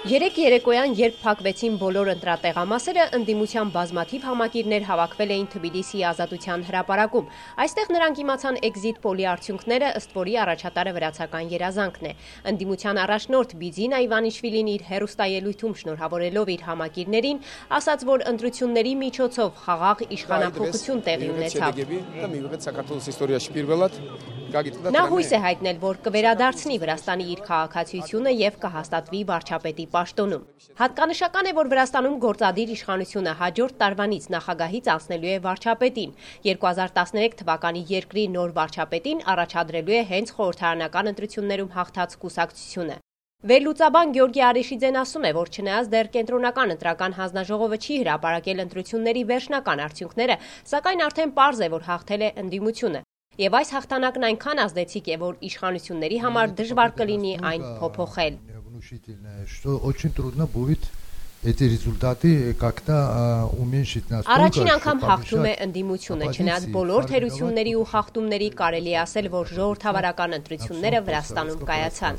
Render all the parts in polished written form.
Երեկ երեկոյան, երբ փակվեցին բոլոր ընտրատեղամասերը, ընդդիմության բազմաթիվ համակիրներ հավաքվել էին Թբիլիսիի Ազատության հրապարակում։ Այստեղ նրանք իմացան էքզիթ պոլի արդյունքները, ըստ որի առաջատարը վրացական երազանքն է։ Ընդդիմության առաջնորդ Բիձինա Իվանիշվիլին իր հեռուստաելույթում շնորհավորելով իր համակիրներին, ասաց, որ ընտրությունների միջոցով խաղաղ իշխանափոխություն տեղի ունեցավ։ Նա հույս է հայտնել, որ կվերադարձնի Վրաստանի իր քաղաքացիությունը եւ կհաստատվի վարչապետի պաշտոնում։ Հատկանշական է, որ Վրաստանում գործադիր իշխանությունը հաջորդ տարվանից նախագահից անցնելու է վարչապետին։ 2013 թվականի երկրի նոր վարչապետին առաջադրելու է հենց խորհրդարանական ընտրություններում հաղթած կուսակցությունը։ Վերլուծաբան Գյորգի Արիշիձեն ասում է, որ չնայած դեռ կենտրոնական ընտրական հանձնաժողովը չի հրապարակել ընտրությունների վերջնական արդյունքները, սակայն արդեն պարզ է, որ հաղթել է ընդդիմությունը։ Եվ այս հաղթանակն այնքան ազդեցիկ է, որ իշխանությունների համար դժվար կլինի այն փոփոխել։ Առաջին անգամ հաղթում է ընդդիմությունը, չնայած բոլոր թերությունների ու խախտումների կարելի է ասել, որ ժողովրդավարական ընտրությունները Վրաստանում կայացան։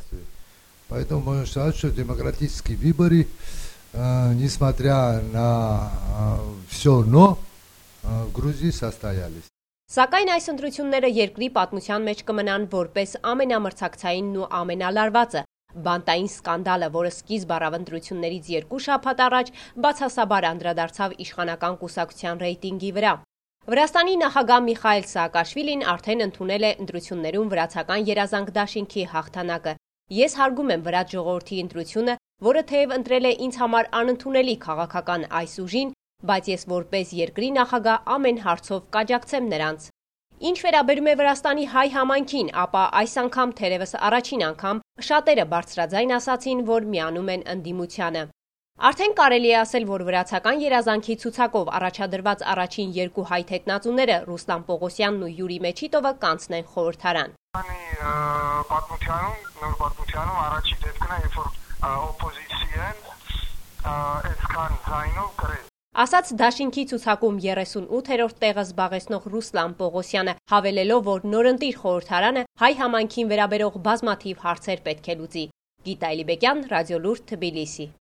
Поэтому считаю, что демократические выборы, несмотря на все «но», в Грузии состоялись. Սակայն այս ընտրությունները երկրի պատմության մեջ կմնան որպես ամենամրցակցայինն ու ամենալարվածը։ Բանտային սկանդալը, որը սկիզբ առավ ընտրություններից 2 շաբաթ առաջ, բացասաբար անդրադարձավ իշխանական կուսակցության ռեյտինգի վրա։ Վրաստանի նախագահ Միխայիլ Սաակաշվիլին արդեն ընդունել է ընտրություններում վրացական երազանք դաշինքի հաղթանակը։ Ես հարգում եմ վրաց ժողովրդի ընտրությունը, որը թեև ընտրել է ինձ համար անընդունելի քաղաքական այս ուժին, բայց ես որպես երկրի նախագահ ամեն հարցով կաջակցեմ նրանց։ Ինչ վերաբերում է Վրաստանի հայ համայնքին, ապա այս անգամ թերևս առաջին անգամ շատերը բարձրաձայն ասացին, որ միանում են ընդդիմությանը։ Արդեն կարելի է ասել, որ վրացական երազանքի ցուցակով առաջադրված առաջին 2 հայ թեկնածուները Ռուստամ Պողոսյանն ու Յուրի Մեչիտովը կանցնեն խորհրդարան։ Պատմությանում առաջին դեպքն է, երբ որ օպոզիցիան այսքան ձայնով գրել։ Ասաց դաշինքի ցուցակում 38-րդ տեղը զբաղեցնող Ռուստամ Պողոսյանը, հավելելով, որ նորընտիր խորհրդարանը հայ համայնքին վերաբերող բազմաթիվ հարցեր պետք է լուծի։ Գիտա Էլիբեկյան, Ռադիոլուրջ, Թբիլիսի։